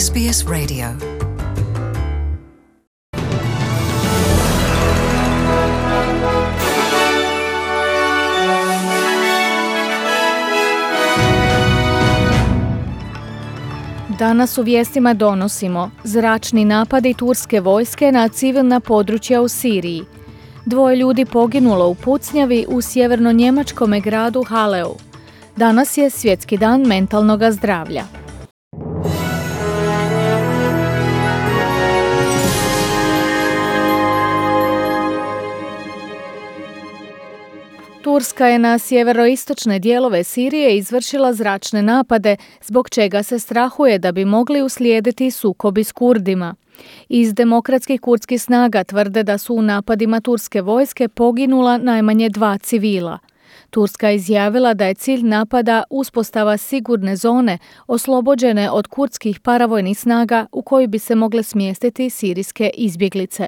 SBS Radio. Danas u vijestima donosimo zračni napadi turske vojske na civilna područja u Siriji. 2 ljudi poginulo u pucnjavi u sjeverno-njemačkome gradu Haleu. Danas je Svjetski dan mentalnog zdravlja. Turska je na sjeveroistočne dijelove Sirije izvršila zračne napade, zbog čega se strahuje da bi mogli uslijediti sukobi s Kurdima. Iz demokratskih kurdskih snaga tvrde da su u napadima turske vojske poginula najmanje 2 civila. Turska je izjavila da je cilj napada uspostava sigurne zone oslobođene od kurdskih paravojnih snaga u koju bi se mogle smjestiti sirijske izbjeglice.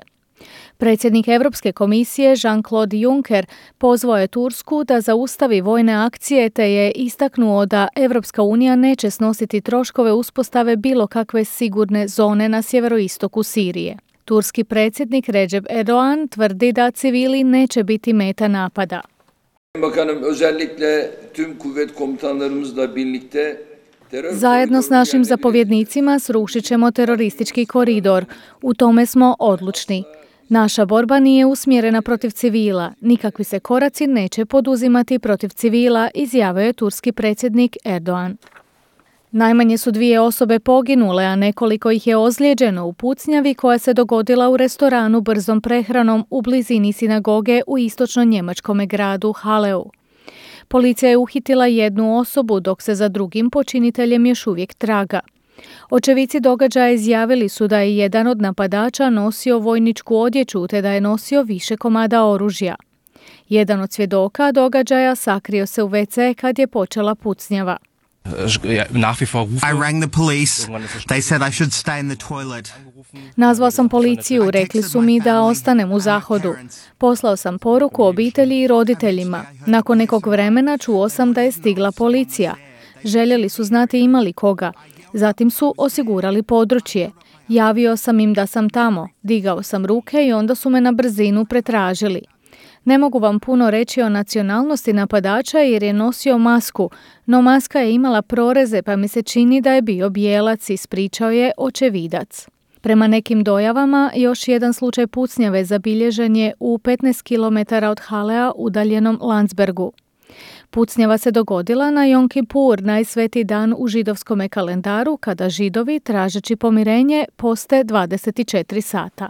Predsjednik Europske komisije Jean-Claude Juncker pozvao je Tursku da zaustavi vojne akcije te je istaknuo da Europska unija neće snositi troškove uspostave bilo kakve sigurne zone na sjeveroistoku Sirije. Turski predsjednik Recep Erdoğan tvrdi da civili neće biti meta napada. Bakanım, özellikle tüm kuvvet komutanlarımızla birlikte Zajedno s našim zapovjednicima srušit ćemo teroristički koridor. U tome smo odlučni. Naša borba nije usmjerena protiv civila. Nikakvi se koraci neće poduzimati protiv civila, izjavio je turski predsjednik Erdoğan. Najmanje su 2 osobe poginule, a nekoliko ih je ozlijeđeno u pucnjavi koja se dogodila u restoranu brzom prehranom u blizini sinagoge u istočno-njemačkome gradu Haleu. Policija je uhitila 1 osobu, dok se za drugim počiniteljem još uvijek traga. Očevici događaja izjavili su da je jedan od napadača nosio vojničku odjeću te da je nosio više komada oružja. Jedan od svjedoka događaja sakrio se u WC kad je počela pucnjava. Nazvao sam policiju, rekli su mi da ostanem u zahodu. Poslao sam poruku obitelji i roditeljima. Nakon nekog vremena čuo sam da je stigla policija. Željeli su znati ima li koga. Zatim su osigurali područje. Javio sam im da sam tamo. Digao sam ruke i onda su me na brzinu pretražili. Ne mogu vam puno reći o nacionalnosti napadača jer je nosio masku, no maska je imala proreze pa mi se čini da je bio bijelac, ispričao je očevidac. Prema nekim dojavama, još jedan slučaj pucnjave zabilježen je u 15 km od Halea udaljenom Landsbergu. Pucnjava se dogodila na Jom Kipur, najsvetiji dan u židovskom kalendaru, kada židovi, tražeći pomirenje, poste 24 sata.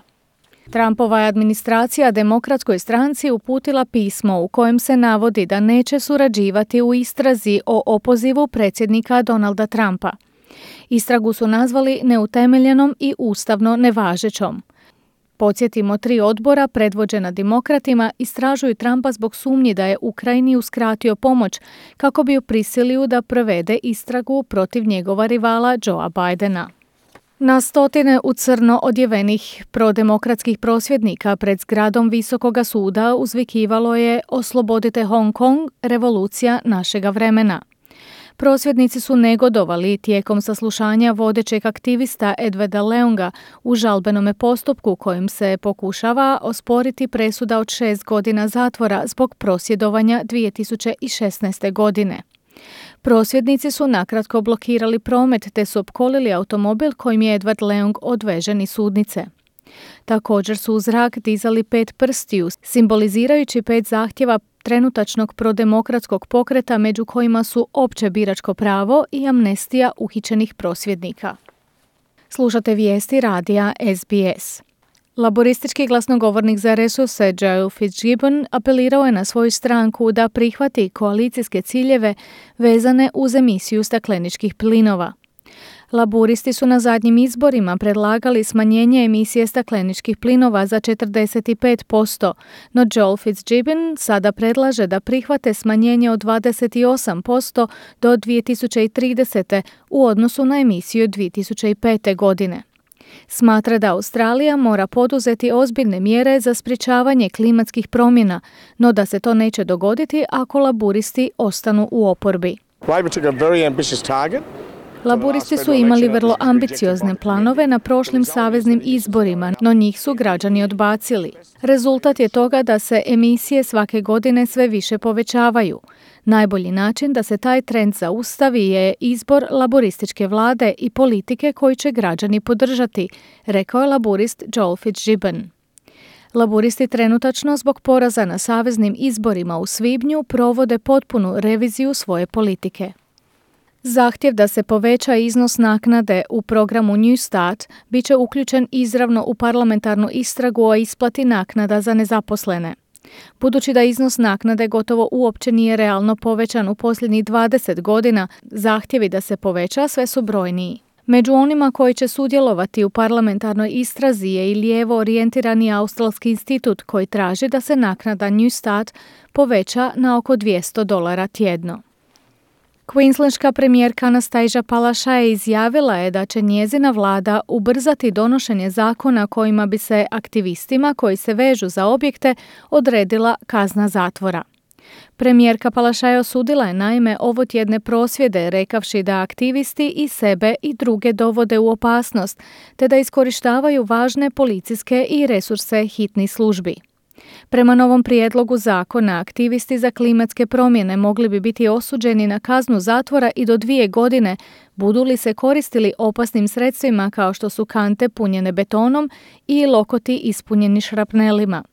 Trumpova je administracija Demokratskoj stranci uputila pismo u kojem se navodi da neće surađivati u istrazi o opozivu predsjednika Donalda Trumpa. Istragu su nazvali neutemeljenom i ustavno nevažećom. Podsjetimo, 3 odbora predvođena demokratima istražuju Trumpa zbog sumnji da je Ukrajini uskratio pomoć kako bi ju prisilio da provede istragu protiv njegova rivala Joea Bidena. Na stotine u crno odjevenih prodemokratskih prosvjednika pred zgradom Visokoga suda uzvikivalo je "Oslobodite Hong Kong, revolucija našega vremena". Prosvjednici su negodovali tijekom saslušanja vodećeg aktivista Edwarda Leunga u žalbenome postupku kojim se pokušava osporiti presuda od 6 godina zatvora zbog prosvjedovanja 2016. godine. Prosvjednici su nakratko blokirali promet te su opkolili automobil kojim je Edward Leung odvežen iz sudnice. Također su u zrak dizali 5 prstiju, simbolizirajući 5 zahtjeva trenutačnog prodemokratskog pokreta među kojima su opće biračko pravo i amnestija uhićenih prosvjednika. Slušate vijesti radija SBS. Laboristički glasnogovornik za resurse Joe Fitzgibbon apelirao je na svoju stranku da prihvati koalicijske ciljeve vezane uz emisiju stakleničkih plinova. Laburisti su na zadnjim izborima predlagali smanjenje emisije stakleničkih plinova za 45%, no Joel Fitzgibbon sada predlaže da prihvate smanjenje od 28% do 2030. u odnosu na emisiju 2005. godine. Smatra da Australija mora poduzeti ozbiljne mjere za sprječavanje klimatskih promjena, no da se to neće dogoditi ako laburisti ostanu u oporbi. Labor took a very ambitious target Laburisti su imali vrlo ambiciozne planove na prošlim saveznim izborima, no njih su građani odbacili. Rezultat je toga da se emisije svake godine sve više povećavaju. Najbolji način da se taj trend zaustavi je izbor laborističke vlade i politike koju će građani podržati, rekao je laburist Joel Fitzgibbon. Laburisti trenutačno zbog poraza na saveznim izborima u svibnju provode potpunu reviziju svoje politike. Zahtjev da se poveća iznos naknade u programu New Start bit će uključen izravno u parlamentarnu istragu o isplati naknada za nezaposlene. Budući da iznos naknade gotovo uopće nije realno povećan u posljednjih 20 godina, zahtjevi da se poveća sve su brojniji. Među onima koji će sudjelovati u parlamentarnoj istrazi je i lijevo orijentirani australski institut koji traži da se naknada New Start poveća na oko $200 tjedno. Queenslandska premijerka Anastasia Palaszczuk izjavila je da će njezina vlada ubrzati donošenje zakona kojima bi se aktivistima koji se vežu za objekte odredila kazna zatvora. Premijerka Palaszczuk osudila je naime ovotjedne prosvjede rekavši da aktivisti i sebe i druge dovode u opasnost te da iskorištavaju važne policijske i resurse hitnih službi. Prema novom prijedlogu zakona, aktivisti za klimatske promjene mogli bi biti osuđeni na kaznu zatvora i do 2 godine, budu li se koristili opasnim sredstvima kao što su kante punjene betonom i lokoti ispunjeni šrapnelima.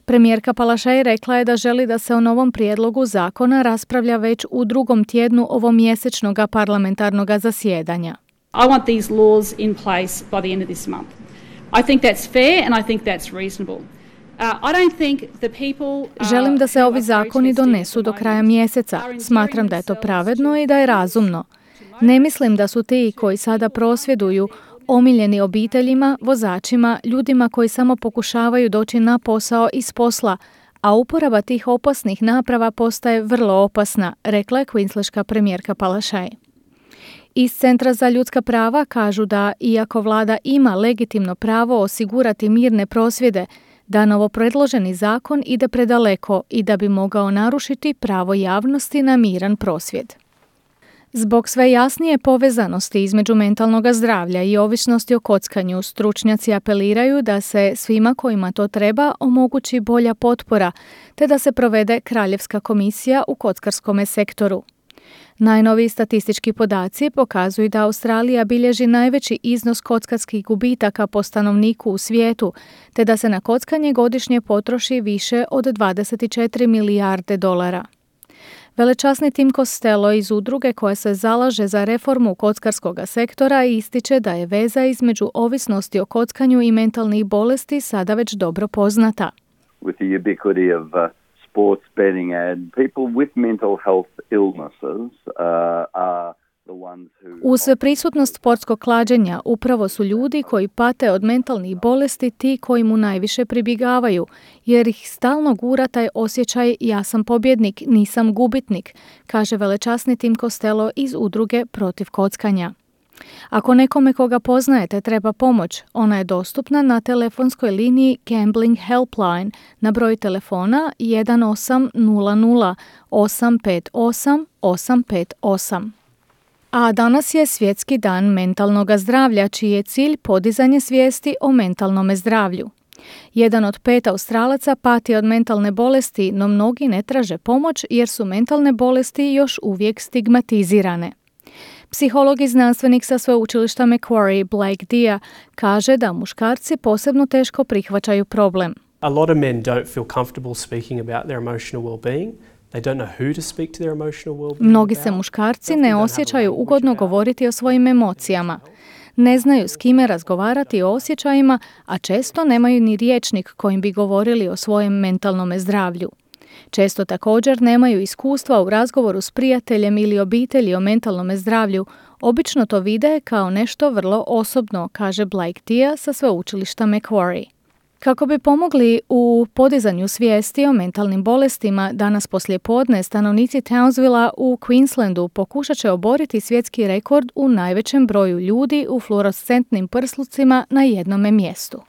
Premijerka Palaszczuk rekla je da želi da se o novom prijedlogu zakona raspravlja već u 2. tjednu ovomjesečnog parlamentarnog zasjedanja. I want these laws in place by the end of this month. I think that's fair and I think that's reasonable. Želim da se ovi zakoni donesu do kraja mjeseca. Smatram da je to pravedno i da je razumno. Ne mislim da su ti koji sada prosvjeduju omiljeni obiteljima, vozačima, ljudima koji samo pokušavaju doći na posao iz posla, a uporaba tih opasnih naprava postaje vrlo opasna, rekla je queenslandska premijerka Palaszczuk. Iz Centra za ljudska prava kažu da, iako vlada ima legitimno pravo osigurati mirne prosvjede, da novopredloženi zakon ide predaleko i da bi mogao narušiti pravo javnosti na miran prosvjed. Zbog sve jasnije povezanosti između mentalnog zdravlja i ovisnosti o kockanju, stručnjaci apeliraju da se svima kojima to treba omogući bolja potpora, te da se provede kraljevska komisija u kockarskome sektoru. Najnoviji statistički podaci pokazuju da Australija bilježi najveći iznos kockarskih gubitaka po stanovniku u svijetu, te da se na kockanje godišnje potroši više od 24 milijarde dolara. Velečasni Tim Costello iz udruge koja se zalaže za reformu kockarskog sektora ističe da je veza između ovisnosti o kockanju i mentalnih bolesti sada već dobro poznata. With the ubiquity of sports betting and people with mental health illnesses are the ones who... Uz prisutnost sportskog klađenja upravo su ljudi koji pate od mentalnih bolesti ti koji mu najviše pribjegavaju, jer ih stalno gura taj osjećaj ja sam pobjednik, nisam gubitnik, kaže velečasni Tim Costello iz udruge protiv kockanja. Ako nekome koga poznajete treba pomoć, ona je dostupna na telefonskoj liniji Gambling Helpline na broj telefona 1800 858 858. A danas je Svjetski dan mentalnog zdravlja, čiji je cilj podizanje svijesti o mentalnom zdravlju. 1 od 5 Australaca pati od mentalne bolesti, no mnogi ne traže pomoć jer su mentalne bolesti još uvijek stigmatizirane. Psiholog i znanstvenik sa sveučilišta Macquarie, Blake Dia, kaže da muškarci posebno teško prihvaćaju problem. A lot of men don't feel comfortable speaking about their emotional well-being. They don't know who to speak to their emotional well-being. Mnogi se muškarci ne osjećaju ugodno govoriti o svojim emocijama. Ne znaju s kime razgovarati o osjećajima, a često nemaju ni rječnik kojim bi govorili o svojem mentalnom zdravlju. Često također nemaju iskustva u razgovoru s prijateljem ili obitelji o mentalnom zdravlju. Obično to vide kao nešto vrlo osobno, kaže Blake Dia sa sveučilišta Macquarie. Kako bi pomogli u podizanju svijesti o mentalnim bolestima, danas poslijepodne stanovnici Townsvilla u Queenslandu pokušat će oboriti svjetski rekord u najvećem broju ljudi u fluorescentnim prslucima na jednome mjestu.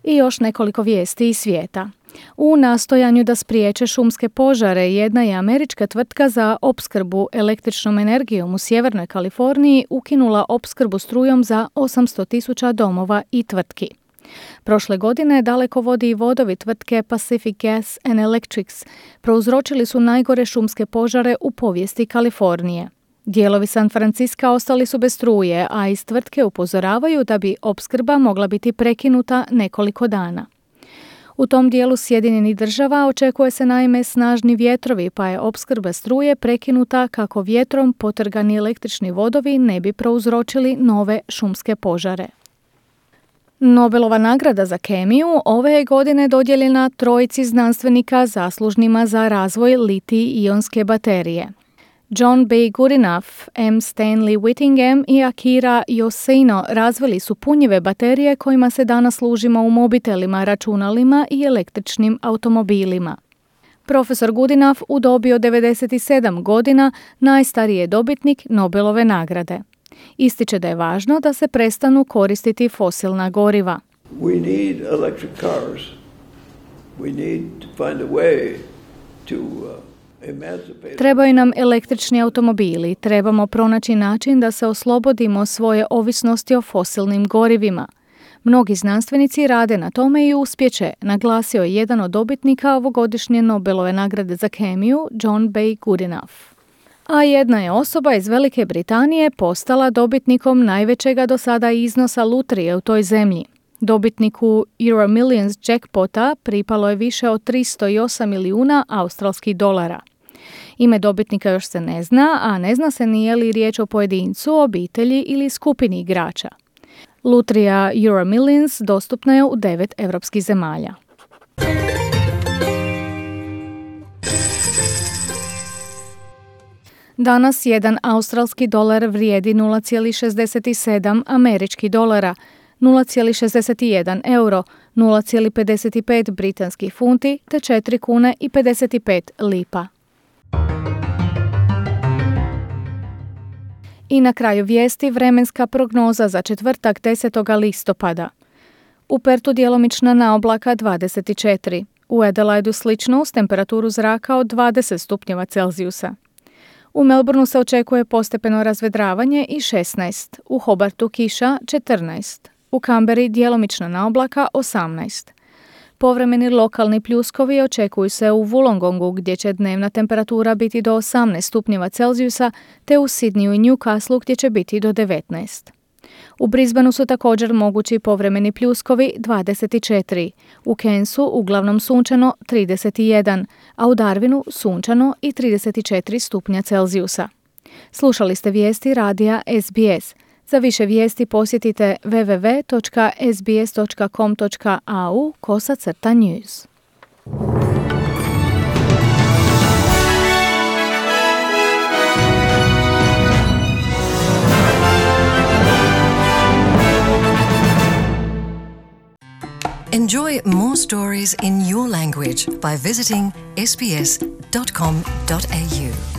I još nekoliko vijesti iz svijeta. U nastojanju da spriječe šumske požare, jedna je američka tvrtka za opskrbu električnom energijom u Sjevernoj Kaliforniji ukinula opskrbu strujom za 800.000 domova i tvrtki. Prošle godine dalekovodi i vodovi tvrtke Pacific Gas and Electrics prouzročili su najgore šumske požare u povijesti Kalifornije. Dijelovi San Franciska ostali su bez struje, a iz tvrtke upozoravaju da bi opskrba mogla biti prekinuta nekoliko dana. U tom dijelu Sjedinjenih Država očekuje se naime snažni vjetrovi, pa je opskrba struje prekinuta kako vjetrom potrgani električni vodovi ne bi prouzročili nove šumske požare. Nobelova nagrada za kemiju ove je godine dodijeljena trojici znanstvenika zaslužnima za razvoj litij-ionske baterije. John B. Goodenough, M. Stanley Whittingham i Akira Yoshino razvili su punjive baterije kojima se danas služimo u mobitelima, računalima i električnim automobilima. Profesor Goodenough u dobi od 97 godina najstariji je dobitnik Nobelove nagrade. Ističe da je važno da se prestanu koristiti fosilna goriva. We need electric cars. We need to find a way to emancipate. Trebaju nam električni automobili, trebamo pronaći način da se oslobodimo svoje ovisnosti o fosilnim gorivima. Mnogi znanstvenici rade na tome i uspjeće, naglasio je jedan od dobitnika ovogodišnje Nobelove nagrade za kemiju, John B. Goodenough. A jedna je osoba iz Velike Britanije postala dobitnikom najvećega do sada iznosa lutrije u toj zemlji. Dobitniku Euro Millions jackpota pripalo je više od 308 milijuna australskih dolara. Ime dobitnika još se ne zna, a ne zna se nije li riječ o pojedincu, obitelji ili skupini igrača. Lutrija Euro Millions dostupna je u 9 europskih zemalja. Danas jedan australski dolar vrijedi 0,67 američkih dolara, 0,61 euro, 0,55 britanskih funti te 4 kune i 55 lipa. I na kraju vijesti vremenska prognoza za četvrtak 10. listopada. U Pertu djelomična naoblaka 24, u Adelaidu slično uz temperaturu zraka od 20 stupnjeva Celzijusa. U Melbourneu se očekuje postepeno razvedravanje i 16, u Hobartu kiša 14, u Canberri djelomična naoblaka 18. Povremeni lokalni pljuskovi očekuju se u Wollongongu gdje će dnevna temperatura biti do 18 stupnjeva Celzijusa te u Sydneyu i Newcastlu gdje će biti do 19. U Brisbaneu su također mogući povremeni pljuskovi 24, u Cairnsu uglavnom sunčano 31, a u Darwinu sunčano i 34 stupnja Celzijusa. Slušali ste vijesti radija SBS. Za više vijesti posjetite www.sbs.com.au/news. Enjoy more stories in your language by visiting sbs.com.au.